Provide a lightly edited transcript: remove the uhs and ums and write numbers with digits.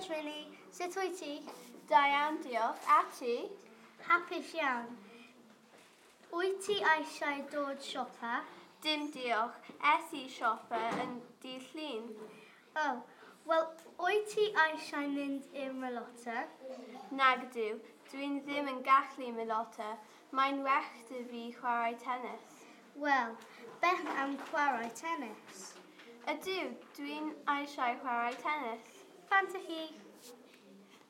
Trini, sut wyt ti? Da iawn, diolch. A ti? Hapus iawn. Wyt ti eisiau dod siopa? Dim diolch. Es i siopa yn dydd Llun. O, oh, wel, wyt ti eisiau mynd i'r melota? Nag ydw. Dwi'n ddim yn gallu melota. Mae'n well 'da fi chwarae tennis. Wel, beth am chwarae tennis? Ydw, dwi'n eisiau chwarae tennis. Bant â chi.